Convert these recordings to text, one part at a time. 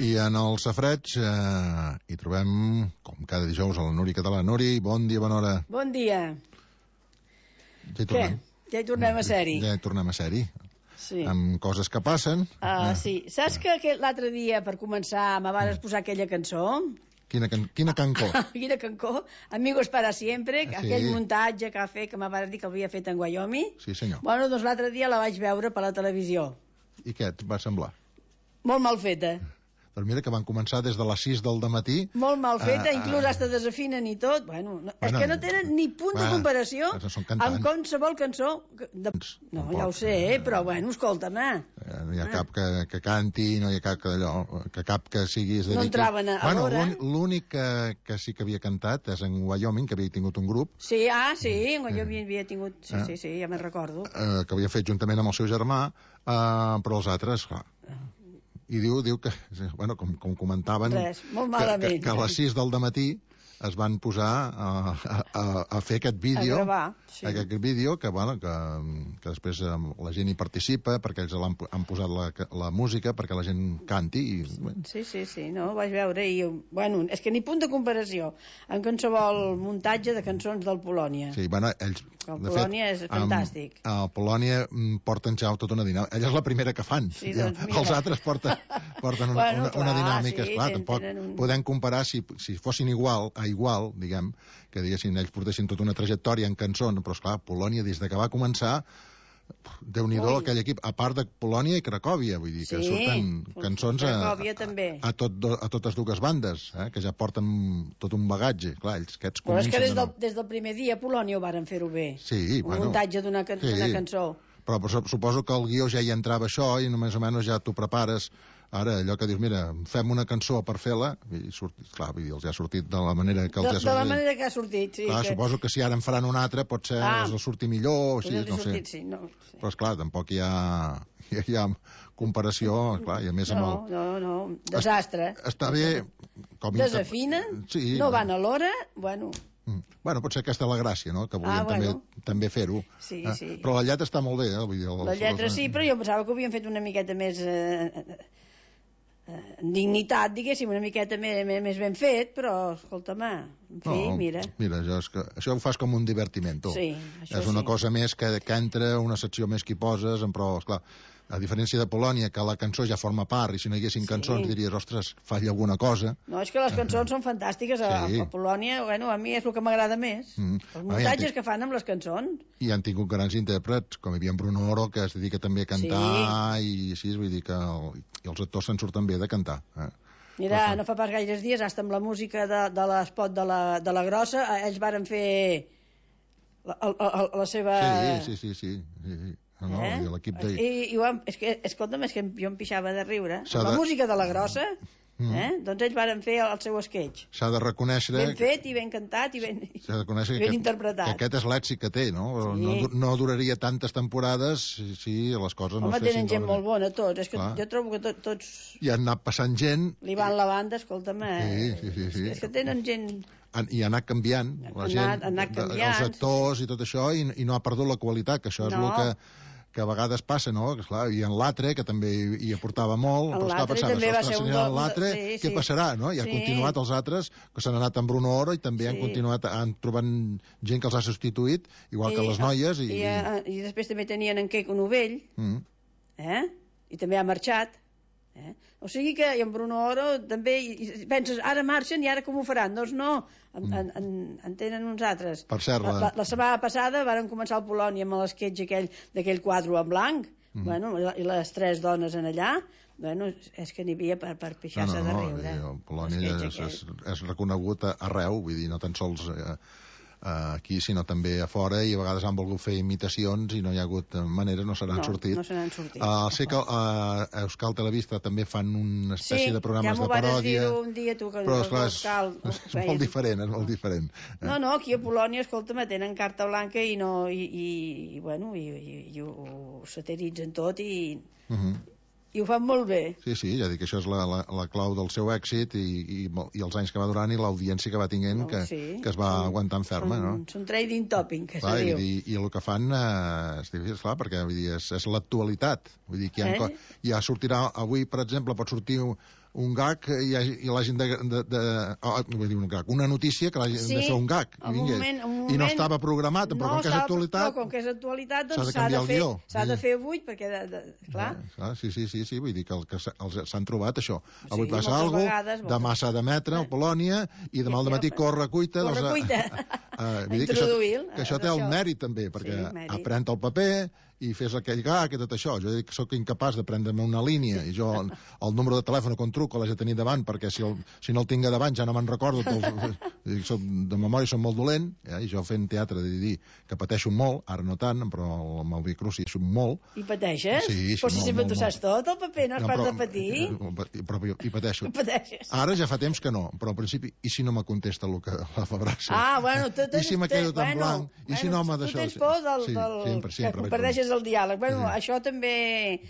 I en el Safareig hi trobem, com cada dijous, a la Núria Català. Núria, bon dia, bona hora. Bon dia. Ja hi tornem. Què? Ja hi tornem a ser-hi? Ja hi tornem a ser-hi. Sí. Amb coses que passen. Sí. Saps que l'altre dia, per començar, me vas posar aquella cançó? Quina cancó? Quina cancó? Amigos para siempre, sí. Aquell muntatge que va fer, que me vas dir que havia fet en Wyoming. Sí, senyor. Bueno, doncs l'altre dia la vaig veure per la televisió. I què et va semblar? Molt mal feta. Doncs mira que van començar des de les 6 del dematí. Molt mal feta, inclús hasta desafinen i tot. Bueno, és que no tenen ni punt de comparació amb qualsevol cançó. No, ja ho sé, però bueno, escolta'm. No hi ha cap que canti, no hi ha cap que sigui... No entraven a l'hora. L'únic que sí que havia cantat és en Wyoming, que havia tingut un grup. Sí, en Wyoming havia tingut... Sí, ja me'n recordo. Que havia fet juntament amb el seu germà, però els altres, clar... I diu que, bueno, com comentaven, que a les 6 del matí es van posar a fer aquest vídeo, a gravar, sí. Aquest vídeo que, bueno, que després la gent hi participa perquè ells han posat la música perquè la gent canti i, bueno. Sí, no, ho vaig veure i, bueno, és que ni punt de comparació en qualsevol muntatge de cançons del Polònia. Sí, bueno, ells... El Polònia és fantàstic. A Polònia porten ja tota una dinàmica. Ella és la primera que fan. Sí, doncs mira. Els altres porten una dinàmica. Sí, clar, tampoc podem comparar si fossin igual, diguem, que diguessin, ells portessin tota una trajectòria en cançons, però esclar, Polònia, des que va començar, Déu-n'hi-do aquell equip, a part de Polònia i Cracòvia, vull dir, que surten cançons a totes dues bandes, que ja porten tot un bagatge, clar, ells aquests però és que des del primer dia a Polònia ho varen fer-ho bé, un muntatge d'una cançó. Però suposo que el guió ja hi entrava això i només o menys ja t'ho prepares. Ara, allò que dius, mira, fem una cançó per fer-la, i clar, els ha sortit de la manera que els ha sortit. De la manera que ha sortit, sí. Clar, suposo que si ara en faran una altra, potser els sortir millor, o així, no sé. Sí. Però, esclar, tampoc hi ha comparació, clar, i a més amb el... No, desastre. Està bé... Desafinen, no van a l'hora, bueno... Bueno, potser aquesta és la gràcia, no?, que volien també fer-ho. Sí. Però la lletra està molt bé, vull dir... La lletra sí, però jo pensava que ho havien fet una miqueta més... dignitat, diguéssim, una miqueta més ben fet, però, escolta'm, en fi, mira. Mira, això ho fas com un divertiment, tu. Sí, és una cosa més que entra, una secció més que hi poses, però, esclar, a diferència de Polònia, que la cançó ja forma part, i si no hi haguessin cançons diries, ostres, falla alguna cosa. No, és que les cançons són fantàstiques, a Polònia, bueno, a mi és el que m'agrada més, els muntatges que fan amb les cançons. I han tingut grans intèrprets, com hi havia en Bruno Oro, que es dedica també a cantar, i així, vull dir que els actors se'n surten bé de cantar. Mira, no fa pas gaires dies, hasta amb la música de l'espot de la Grossa, ells varen fer la seva... Sí. L'equip de... És que, escolta'm, és que jo em pixava de riure. La música de la Grossa, doncs ells varen fer el seu sketch. S'ha de reconèixer... Ben fet i ben cantat i ben interpretat. Que aquest és l'èxit que té, no? No duraria tantes temporades si les coses no es fessin... Home, tenen gent molt bona, tots. És que jo trobo que tots... I han anat passant gent... Li van la banda, escolta'm, Sí. És que tenen gent... I ha anat canviant la gent, els actors i tot això, i no ha perdut la qualitat, que això és el que a vegades passa, no? I en l'altre, que també hi aportava molt, però esclar, pensaves, l'altre, què passarà, no? I ha continuat els altres, que s'han anat amb Bruno Oro, i també han trobat gent que els ha substituït, igual que les noies. I després també tenien en Queco Novell, i també ha marxat. O sigui que en Bruno Oro també penses, ara marxen i ara com ho faran? Doncs no, en tenen uns altres. Per cert, la setmana passada varen començar el Polònia amb l'esquetx d'aquell quadre en blanc, i les 3 dones en allà, és que n'hi havia per pixar-se de riure. Polònia és reconegut arreu, vull dir, no tan sols aquí, sinó també a fora, i a vegades han volgut fer imitacions i no hi ha hagut manera, no se n'han sortit. Sé que a Euskal Televista també fan una espècie de programes de paròdia. Sí, un dia tu, però esclar, és molt diferent, és molt diferent. No, aquí a Polònia, escolta'm, tenen carta blanca i ho satiritzen tot i ho fan molt bé. Sí, ja dic que això és la clau del seu èxit i els anys que va durant i l'audiència que va tinguent, que es va aguantant ferma, no? Són trading topping, que se diu. I el que fan és difícil, clar, perquè és l'actualitat. Vull dir que ja sortirà avui, per exemple, pot sortir un gag i l'hagin vull dir un gag, una notícia que l'hagin de fer un gag i no estava programat, però com que és actualitat, com que és actualitat, doncs s'ha de fer avui, perquè clar. Sí, vull dir que s'han trobat això. Avui passa alguna cosa, demà s'ha d'emetre a Polònia i demà al matí corre cuita. Vull dir que això té el mèrit també, perquè aprèn el paper i fes aquell gag i tot això. Jo dic que sóc incapaç de prendre'm una línia i jo el número de telèfon quan truco l'he de tenir davant, perquè si no el tinc a davant ja no me'n recordo. De memòria som molt dolent, i jo fent teatre de dir que pateixo molt, ara no tant, però amb el Vicruz hi som molt. I pateixes? Sí, però si sempre t'ho saps tot, el paper, no has pas de patir? Però hi pateixo. Ara ja fa temps que no, però al principi, i si no me contesta el que la Fabrassa? Bueno, i si me quedo tan blanc? I si no m'ha d'això? Tu tens por que perdeixes el diàleg. Bueno, això també...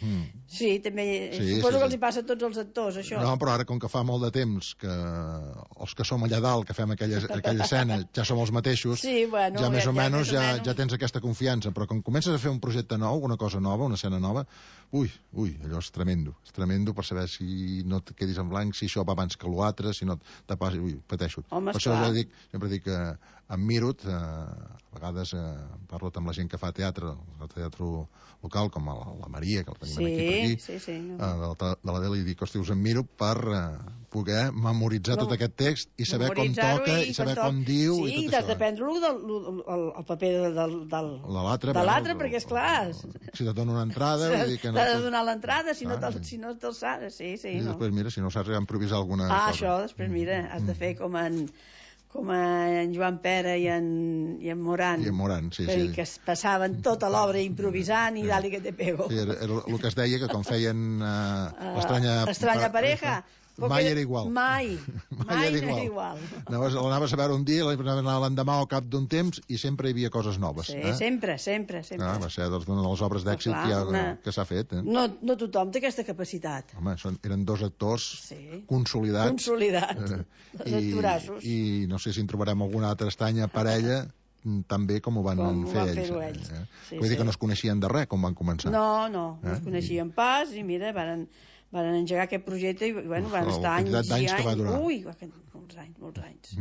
Sí, també... Suposo que els hi passa a tots els actors, això. No, però ara, com que fa molt de temps que els que som allà dalt, que fem aquella escena, ja som els mateixos, ja més o menys ja tens aquesta confiança. Però quan comences a fer un projecte nou, una cosa nova, una escena nova, ui, allò és tremendo. És tremendo per saber si no et quedis en blanc, si això va abans que l'altre, si no te passi... Ui, pateixo. Home, per això sempre dic que em miro, a vegades parlo amb la gent que fa teatre, el teatre local, com la Maria, que la tenim aquí per aquí, de la Deli, i dic, hosti, us em miro per poder memoritzar tot aquest text i saber com toca i saber com diu i tot això. Sí, i t'has de prendre el paper de l'altre, perquè, esclar... Si te dono una entrada... T'ha de donar l'entrada, si no te'l saps, sí. I després, mira, si no saps improvisar alguna cosa. Això, després, mira, has de fer com en Joan Pera i en Moran. I en Moran, sí. Que es passaven tota l'obra improvisant i dali que te pego. Sí, era el que es deia que quan feien Estranya pareja... Mai era igual. Mai era igual. L'anaves a veure un dia, l'anar l'endemà al cap d'un temps i sempre hi havia coses noves. Sí, sempre. Va ser una de les obres d'èxit que s'ha fet. No tothom té aquesta capacitat. Home, eren dos actors consolidats. Dos actorassos. I no sé si en trobarem alguna altra estranya parella tan bé com ho van fer ells. Vull dir que no es coneixien de res quan van començar. No es coneixien pas i mira, van engegar aquest projecte i van estar anys i anys. Que va durar. Ui, molts anys.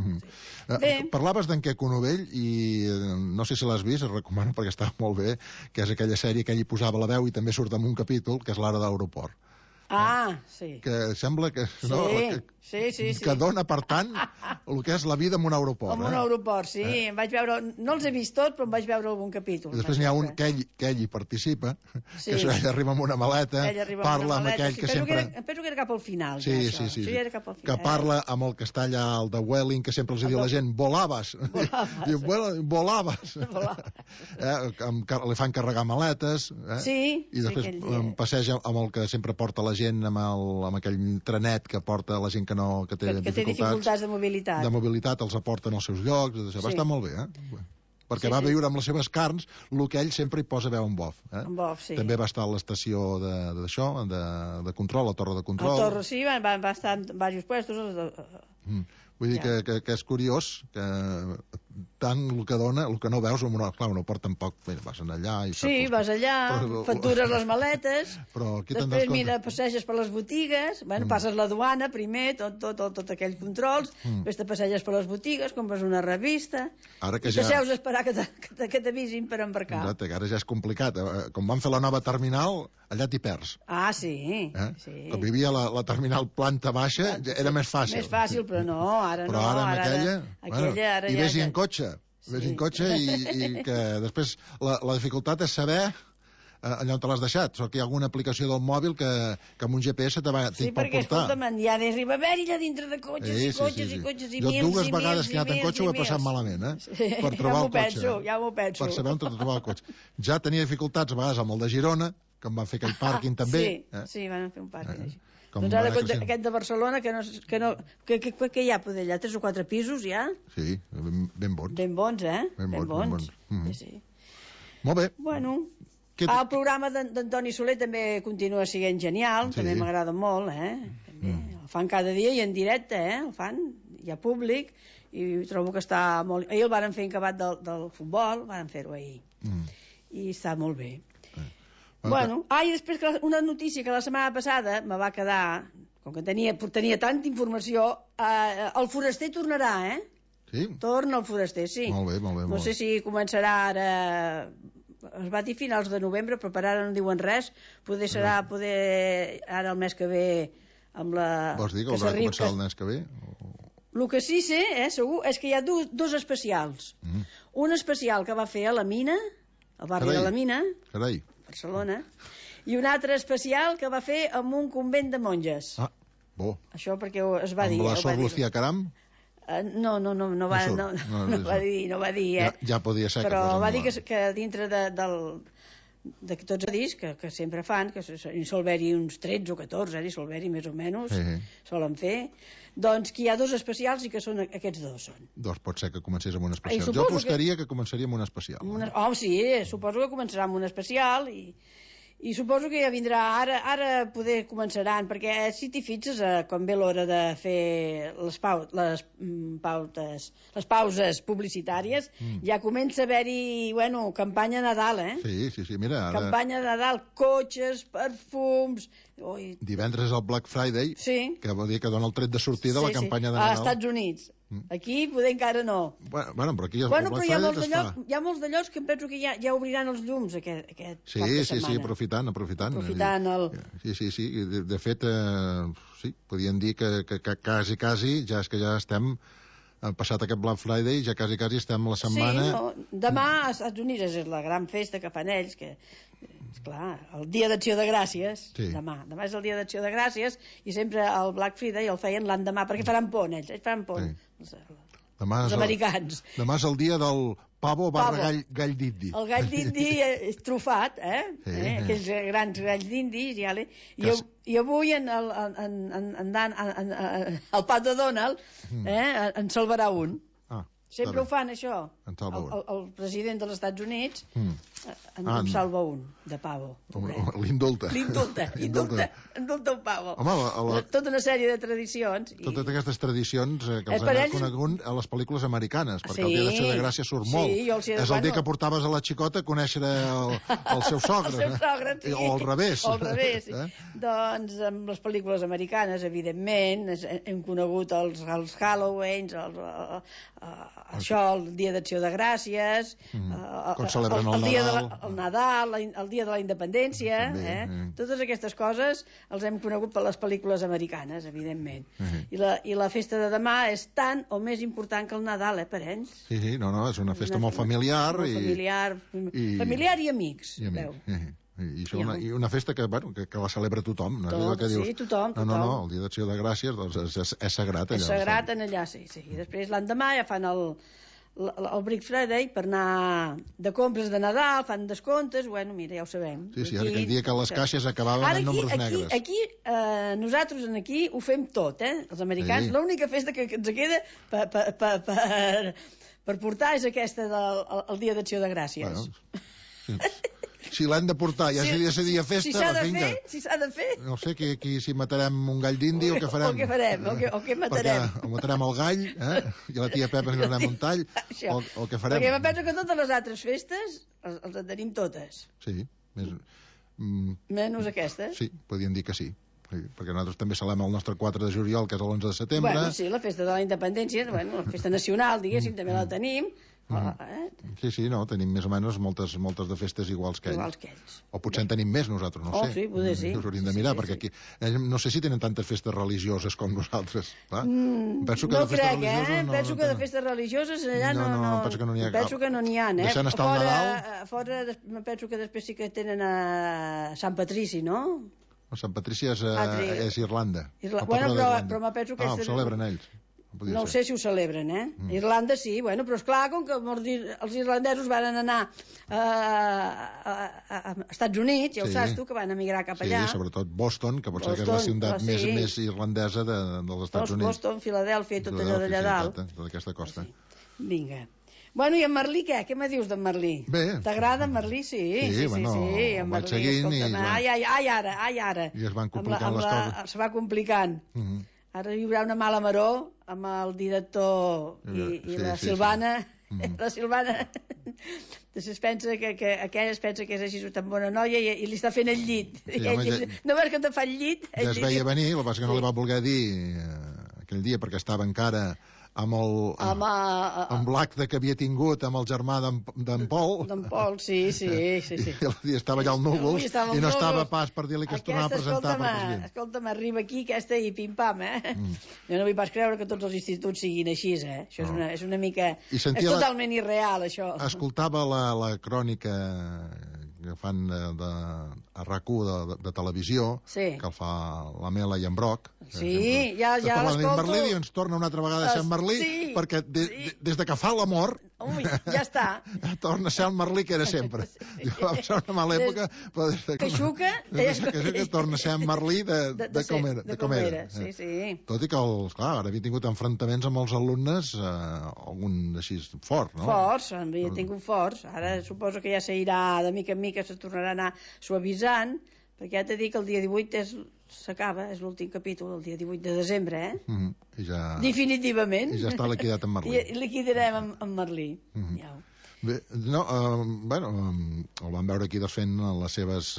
Parlaves d'en Queco Novell i no sé si l'has vist, et recomano perquè està molt bé, que és aquella sèrie que ell hi posava la veu i també surt en un capítol, que és l'Ara d'aeroport. Sí. Que sembla que... Sí. Que dona, per tant, el que és la vida en un aeroport. En un aeroport, sí. Em vaig veure... No els he vist tots, però em vaig veure algun capítol. I després n'hi ha un que ell hi participa, que ell arriba amb una maleta, parla amb aquell que sempre... Penso que era cap al final. Sí. Que parla amb el que està allà, el de Welling, que sempre els diu la gent, volaves. Diu, volaves. Li fan carregar maletes. I després passeja amb el que sempre porta la gent, amb aquell trenet que porta la gent que té dificultats de mobilitat. De mobilitat, els aporten als seus llocs. Va estar molt bé, perquè va viure amb les seves carns el que ell sempre hi posa veu en bof. També va estar a l'estació d'això, de control, la torre de control. La torre, sí, va estar en diversos puestos. Vull dir que és curiós que tant el que dona, el que no veus, clar, no porta tampoc, vas allà... Vas allà, factures les maletes, després passeges per les botigues, passes la duana primer, tot aquells controls, després te passeges per les botigues, compres una revista, i t'asseus a esperar que t'avisin per embarcar. Exacte, que ara ja és complicat. Com van fer la nova terminal, allà t'hi perds. Sí. Quan vivia la terminal planta baixa, era més fàcil. Més fàcil, però no, ara no. Però ara amb aquella... I vés-hi en cotxe. I que després la dificultat és saber allà on te l'has deixat. Sort que hi ha alguna aplicació del mòbil que amb un GPS t'hi pot portar. Sí, perquè, escolta'm, ja arriba a haver-hi allà dintre de cotxes i cotxes i cotxes i mils. Jo dues vegades que he anat en cotxe ho he passat malament, per trobar el cotxe. Ja m'ho penso. Per saber on trobar el cotxe. Ja tenia dificultats a vegades amb el de Girona, que em van fer aquell pàrquing també. Sí, van fer un pàrquing així. Doncs ara aquest de Barcelona, que hi ha poder allà? 3 o 4 pisos, ja? Sí, ben bons. Ben bons, Ben bons. Sí. Molt bé. Bueno, el programa d'Antoni Soler també continua sent genial, també m'agrada molt, El fan cada dia i en directe, el fan, hi ha públic, i trobo que està molt... Ahir el varen fer acabat del futbol, varen fer-ho ahir, i està molt bé. I després una notícia que la setmana passada me va quedar com que tenia tanta informació, el foraster tornarà, Sí? Torna el foraster, sí. Molt bé, molt bé. No sé si començarà ara... Es va dir finals de novembre, però per ara no diuen res. Poder serà ara el mes que ve amb la... Vols dir que haurà de començar el mes que ve? El que sí sé, segur, és que hi ha dos especials. Un especial que va fer a la Mina, al barri de la Mina, Barcelona, i un altre especial que va fer en un convent de monges. Ah, bo. Això perquè es va dir... Amb la Sor Lucía Caram? No va dir, Ja podia ser. Però va dir que dintre de tots els discs que sempre fan, que hi sol haver-hi uns 13 o 14, hi sol haver-hi més o menys, solen fer, doncs que hi ha dos especials i que són aquests dos. Doncs pot ser que comencés amb un especial. Jo apostaria que començaria amb un especial. Sí, suposo que començarà amb un especial i suposo que ja vindrà, ara poder començaran, perquè si t'hi fixes, quan ve l'hora de fer les pauses publicitàries, ja comença a haver-hi, campanya Nadal, Sí, mira, ara... Campanya Nadal, cotxes, perfums... Divendres és el Black Friday, que vol dir que dona el tret de sortida la campanya de Nadal. Als Estats Units. Aquí poder encara no. Bueno, però aquí el Black Friday es fa. Hi ha molts de llocs que em penso que ja obriran els llums aquest cap de setmana. Sí, aprofitant. Sí. De fet, sí, podien dir que quasi, ja és que ja estem passat aquest Black Friday, ja quasi estem a la setmana... Sí, demà als Estats Units és la gran festa que fan ells, que esclar, el dia d'Acció de Gràcies, demà és el dia d'Acció de Gràcies, i sempre el Black Friday el feien l'endemà, perquè faran pont, ells faran pont, els americans. Demà és el dia del pavo barra gall d'indi. El gall d'indi trufat, aquells grans galls d'indis, i avui el Pat de Donald en salvarà un. Sempre ho fan, això. El president dels Estats Units en salva un, de pavo. L'indulta. Indulta un pavo. Home, tota una sèrie de tradicions. Totes aquestes tradicions que els han conegut a les pel·lícules americanes, perquè el dia d'Acció de Gràcia surt molt. És el dia que portaves a la xicota a conèixer el seu sogre. O al revés. Doncs amb les pel·lícules americanes, evidentment, hem conegut els Halloweens, això, el dia d'Acció de Gràcies, el Nadal, el dia de la Independència, totes aquestes coses els hem conegut per les pel·lícules americanes, evidentment. I la festa de demà és tan o més important que el Nadal, per ells. Sí, és una festa molt familiar. Familiar i amics, veu. I una festa que la celebra tothom. Sí, tothom. No, el dia d'Acció de Gràcies és sagrat allà. És sagrat allà, sí. I després l'endemà ja fan el Black Friday per anar de compres de Nadal, fan descomptes, mira, ja ho sabem. Sí, aquell dia que les caixes acabaven en números negres. Aquí, nosaltres aquí ho fem tot, els americans. L'única festa que ens queda per portar és aquesta del dia d'Acció de Gràcies. Si l'han de portar, ja seria festa, si s'ha de fer. No sé, si matarem un gall d'indi o què farem. O què matarem. O matarem el gall, i la tia Pepa ens donarem un tall, o què farem. Perquè penso que totes les altres festes els en tenim totes. Sí. Menys aquestes. Sí, podríem dir que sí. Perquè nosaltres també celebrem el nostre 4 de juliol, que és l'11 de setembre. Sí, la festa de la independència, la festa nacional, diguéssim, també la tenim. Sí, tenim més o menys moltes de festes iguals que ells. O potser en tenim més nosaltres, no sé. Sí, poder sí. Us hauríem de mirar, perquè aquí no sé si tenen tantes festes religioses com nosaltres. No crec, penso que de festes religioses allà no... Penso que no n'hi ha cap. Penso que no n'hi ha, Deixant estar el Nadal... Fora, penso que després sí que tenen a Sant Patrici, no? Sant Patrici és Irlanda. Però me penso que... ho celebren ells. No sé si ho celebren, Irlanda sí, però esclar, com que els irlandesos van anar a Estats Units, ja ho saps tu, que van emigrar cap allà. Sí, sobretot Boston, que pot ser que és la ciutat més irlandesa dels Estats Units. Boston, Filadèlfia, tot allò d'allà dalt. Tota aquesta costa. Vinga. I en Merlí què? Què me dius d'en Merlí? Bé. T'agrada en Merlí? Sí, el vaig seguint i... Ara. I es van complicant les coses. Se va complicant. Ara hi haurà una mala maror amb el director i la Silvana La Silvana es pensa que aquella es pensa que és així tan bona noia i li està fent el llit. No veus que te fa el llit? Ja es veia venir, el que passa que no li va voler dir aquell dia perquè estava encara amb l'acte que havia tingut amb el germà d'en Pol. D'en Pol, sí. I estava allà al núvol i no estava pas per dir-li que es tornava a presentar per president. Escolta'm, arriba aquí aquesta i pim-pam, Jo no vull pas creure que tots els instituts siguin així, Això és una mica... És totalment irreal, això. Escoltava la crònica que fan a RAC1 de televisió, que el fa la Mela i en Broc. Sí, ja l'escolto. En Merlí i ens torna una altra vegada a ser en Merlí, perquè des de que fa l'amor... Ui, ja està. Torna a ser el Merlí que era sempre. Va passar una mala època, però des que xuca... que torna a ser en Merlí de com era. Sí. Tot i que, clar, ara havia tingut enfrontaments amb els alumnes, algun així fort, no? Forts, havia tingut forts. Ara suposo que ja s'irà de mica en mica, se tornarà a anar suavitzant, perquè ja t'he dit que el dia 18 s'acaba, és l'últim capítol, el dia 18 de desembre, definitivament. I ja està liquidat en Merlí. I liquidarem en Merlí. Bé, no, el vam veure aquí fent les seves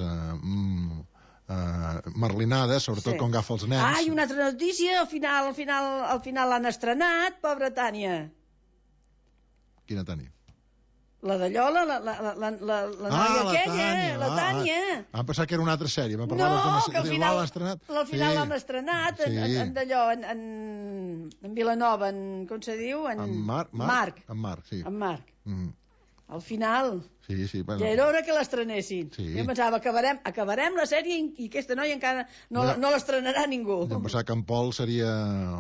merlinades, sobretot quan agafa els nens. I una altra notícia, al final l'han estrenat, pobra Tània. Quina Tània? La de Llola, la noia aquella, la Tània. Vam pensar que era una altra sèrie. No, que al final l'han estrenat en d'allò, en Vilanova, com se diu? En Marc. En Marc, sí. En Marc. Al final. Sí, bueno. Ja era hora que l'estrenessin. Jo pensava, acabarem la sèrie i aquesta noia encara no l'estrenarà ningú. Jo pensava que en Pol seria...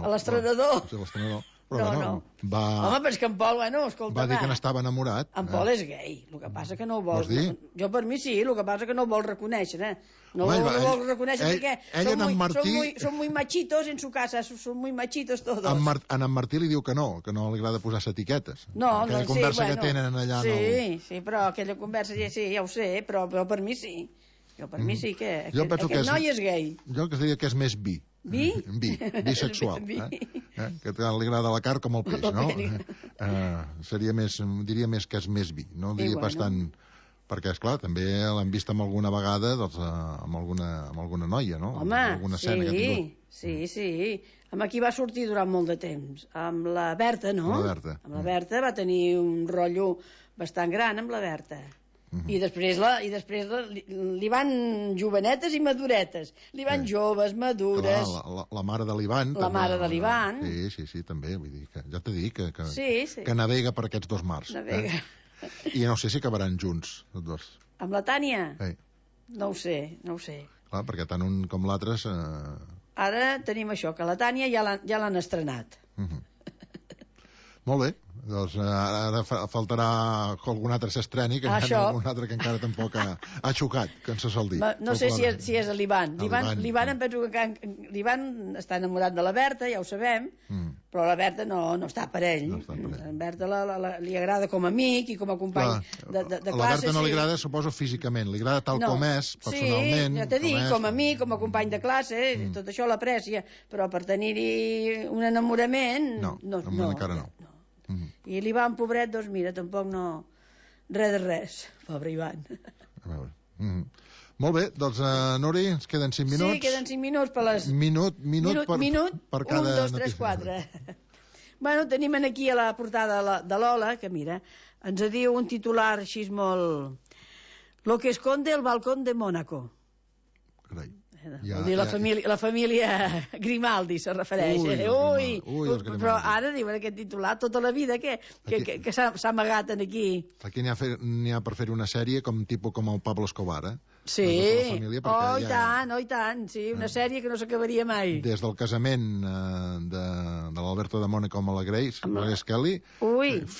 L'estrenador. Sí, l'estrenador. Però no. Home, però és que en Pol, escolta... Va dir que n'estava enamorat. En Pol és gay, el que passa que no ho vol... Vols dir? Jo per mi sí, el que passa que no ho vol reconèixer, No ho vol reconèixer perquè són muy machitos en su casa, són muy machitos todos. En Martí li diu que no li agrada posar-se etiquetes. No, aquella conversa que tenen allà... Sí, però aquella conversa, sí, ja ho sé, però per mi sí. Jo per mi sí que aquest noi és gay. Jo que diria que és més bi. Bisexual. Que li agrada la carn com el peix, no? Diria més que és més bi. No diria pas tant... Perquè, esclar, també l'hem vist amb alguna vegada amb alguna noia, no? Home, alguna escena que ha tingut. Sí. Amb qui va sortir durant molt de temps? Amb la Berta, no? Amb la Berta va tenir un rotllo bastant gran amb la Berta. I després li van jovenetes i maduretes. Li van joves, madures... La mare de l'Ivan. La mare de l'Ivan. Sí, també. Vull dir que ja t'he dit que navega per aquests dos mars. Navega. I no sé si acabaran junts, tots dos. Amb la Tània? Sí. No ho sé. Clar, perquè tant un com l'altre... Ara tenim això, que la Tània ja l'han estrenat. Molt bé. Doncs ara faltarà que algun altre s'estreni, que hi ha algun altre que encara tampoc ha xocat, que ens se sol dir. No sé si és l'Ivan. L'Ivan em penso que l'Ivan està enamorat de la Berta, ja ho sabem, però la Berta no està per ell. La Berta li agrada com a amic i com a company de classe. A la Berta no li agrada, suposo, físicament, li agrada tal com és, personalment. Sí, ja t'he dit, com a amic, com a company de classe, tot això l'aprecia, però per tenir-hi un enamorament... No, encara no. I l'Ivan, pobret, doncs mira, tampoc no... Res de res, pobre Ivan. A veure. Molt bé, doncs, Nuri, ens queden 5 minuts. Sí, queden 5 minuts per les... Minut per cada 1, 2, 3, 4. Bueno, tenim aquí a la portada de l'Ola, que mira, ens diu un titular així molt... Lo que esconde el balcón de Mónaco. Carai. La família Grimaldi se refereix. Però ara diuen aquest titular tota la vida que s'ha amagat aquí. Aquí n'hi ha per fer una sèrie com el Pablo Escobar, Sí, i tant, sí, una sèrie que no s'acabaria mai. Des del casament de l'Alberto de Mónaco amb la Grace Kelly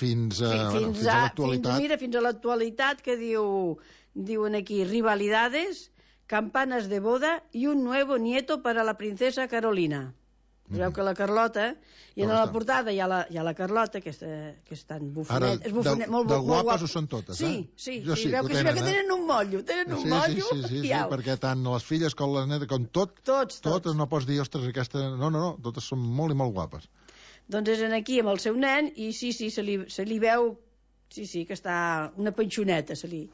fins a l'actualitat. Mira, fins a l'actualitat, que diuen aquí rivalidades, campanas de boda y un nuevo nieto para la princesa Carolina. Es veu que la Carlota, i en la portada hi ha la Carlota, que és tan bufonet, de guapes ho són totes, Sí, veu que tenen un motllo, Sí, perquè tant les filles com les netes, com totes no pots dir, ostres, aquesta... No, totes són molt i molt guapes. Doncs és aquí amb el seu nen i sí, se li veu, sí, que està una panxoneta, se li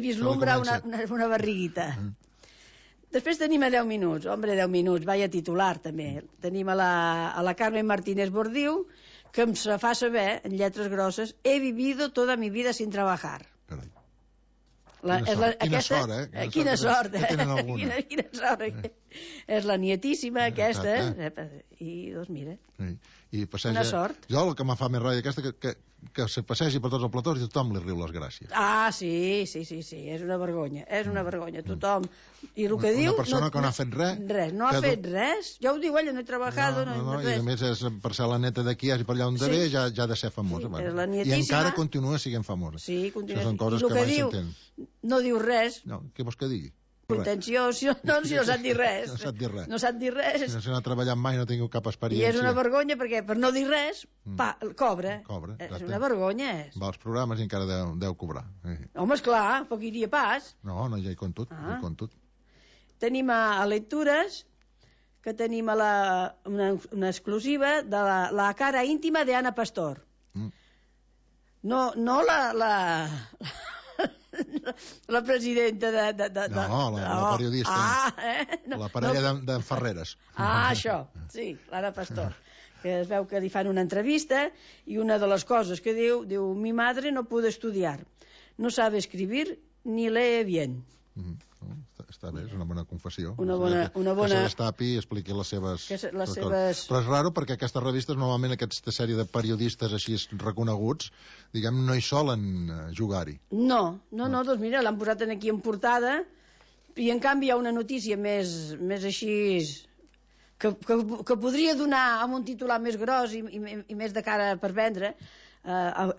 vislumbra una barriguita. Després tenim a 10 minuts, 10 minuts, vaya titular també. Tenim a la Carmen Martínez Bordiu, que em fa saber, en lletres grosses, he vivido toda mi vida sin trabajar. Carai. Quina sort, eh? Quina sort, eh? Quina sort. És la nietíssima, aquesta. I, doncs, mira, una sort. Jo el que me fa més ràbia aquesta, que se passegi per tots els platós i tothom li riu les gràcies. Ah, sí, és una vergonya, tothom. I el que diu... Una persona que no ha fet res. No ha fet res. Ja ho diu ella, no he treballat, no i a més, per ser la neta d'aquí, hagi per allà on ve, ja ha de ser famosa. I encara continua sent famosa. Sí, continua. Això són coses que mai s'entenen. No diu res. No, què vols que digui? Contenció, no sap dir res. No sap dir res. Si no ha treballat mai, no ha tingut cap experiència. I és una vergonya perquè per no dir res, cobra. És una vergonya. Va als programes i encara deu cobrar. Home, esclar, poc iria pas. No, ja hi compto tot. Tenim a Lectures, que tenim una exclusiva de la cara íntima de Ana Pastor. No la presidenta No, la periodista. La parella de Ferreres. Això, sí, l'Anna Pastor. Que es veu que li fan una entrevista i una de les coses que diu, mi madre no pudo estudiar, no sabe escribir ni lee bien. Està bé, és una bona confessió. Que se destapi i expliqui les seves... Però és raro perquè aquestes revistes, normalment aquesta sèrie de periodistes així reconeguts, diguem, no hi solen jugar-hi. No, doncs mira, l'han posat aquí en portada i en canvi hi ha una notícia més així... que podria donar amb un titular més gros i més de cara per vendre...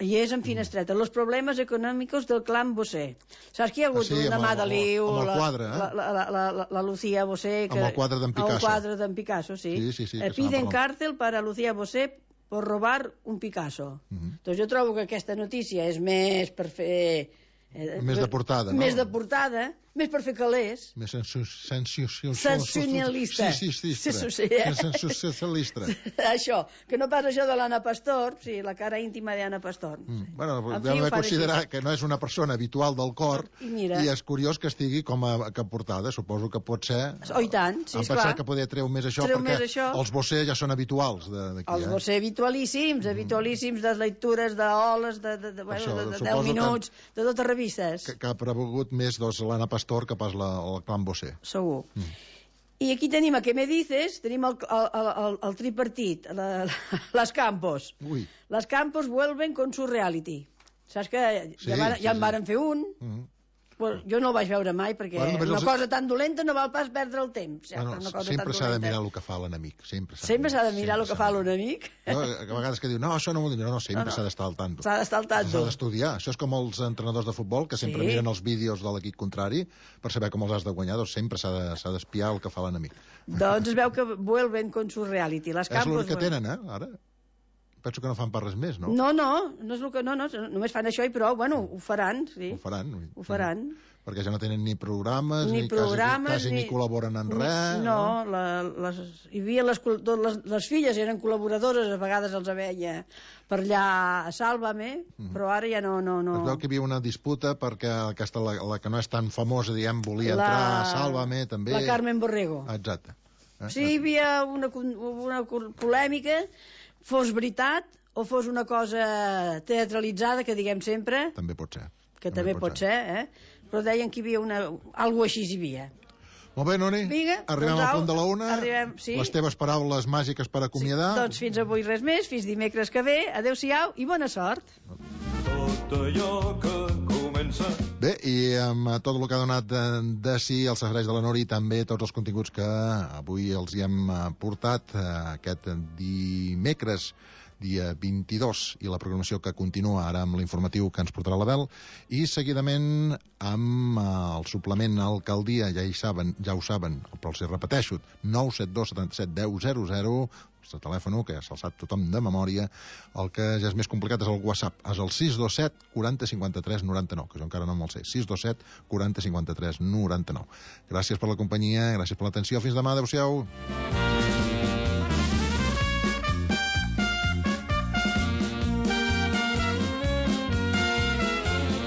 i és en finestreta, los problemes econòmics del clan Bosé. Saps que hi ha hagut una mà de liu, la Lucía Bosé, amb el quadre d'en Picasso. El quadre d'en Picasso, sí. Piden càrcel per a Lucía Bosé por robar un Picasso. Doncs jo trobo que aquesta notícia és més per fer... Més de portada, no? Més de portada, més per fer calés. Més sensacionalista. Sensacionalista. Això, que no pas això de l'Anna Pastor, sí, la cara íntima d'Anna Pastor. Bueno, hem de considerar que no és una persona habitual del cor i és curiós que estigui com a portada. Suposo que pot ser... Oh, i tant, sí, esclar. Em pensava que poder treu més això perquè els Bosé ja són habituals d'aquí. Els Bosé habitualíssims de lectures, d'oles, de 10 minuts, de totes revistes. Que ha prevalgut més l'Anna Pastor que pas el clan Bosé. Segur. I aquí tenim a Què me dices, tenim el tripartit, les Campos. Les Campos vuelven con su reality. Saps que ja en varen fer un, jo no el vaig veure mai perquè una cosa tan dolenta no val pas perdre el temps. Sempre s'ha de mirar el que fa l'enemic. Sempre s'ha de mirar el que fa l'enemic? A vegades que diu, no, això no m'ho diu, no, sempre s'ha d'estar al tanto. S'ha d'estar al tanto. S'ha d'estudiar. Això és com els entrenadors de futbol, que sempre miren els vídeos de l'equip contrari per saber com els has de guanyar, doncs sempre s'ha d'espiar el que fa l'enemic. Doncs es veu que vuelven con su reality. És l'únic que tenen, ara? Penso que no fan per res més, no? No és el que... No, només fan això i prou, bueno, ho faran, sí. Ho faran. Perquè ja no tenen ni programes, quasi ni col·laboren en res. No, hi havia les filles eren col·laboradores, a vegades els veia per allà a Sálvame, però ara ja no. Es veu que hi havia una disputa perquè aquesta, la que no és tan famosa, diguem, volia entrar a Sálvame, també. La Carmen Borrego. Exacte. Sí, hi havia una polèmica, fos veritat o fos una cosa teatralitzada, que diguem sempre. També pot ser. Que també pot ser, però deien que hi havia algo així hi havia. Molt bé, Noni, arribem al punt de la una. Les teves paraules màgiques per acomiadar. Doncs fins avui res més, fins dimecres que ve. Adéu-siau i bona sort. Tot allò que comença. Bé, i amb tot el que ha donat de si els serveis de la Nori, també tots els continguts que avui els hi hem portat aquest dimecres, dia 22, i la programació que continua ara amb l'informatiu que ens portarà l'Abel, i seguidament amb el suplement Alcaldia, ja ho saben, però els hi repeteixo, 972 77 10 00, el telèfon que ja se'l sap tothom de memòria. El que ja és més complicat és el WhatsApp, és el 627 40 53 99, que jo encara no me'l sé, 627 40 53 99. Gràcies per la companyia, gràcies per l'atenció, fins demà, adeu-siau.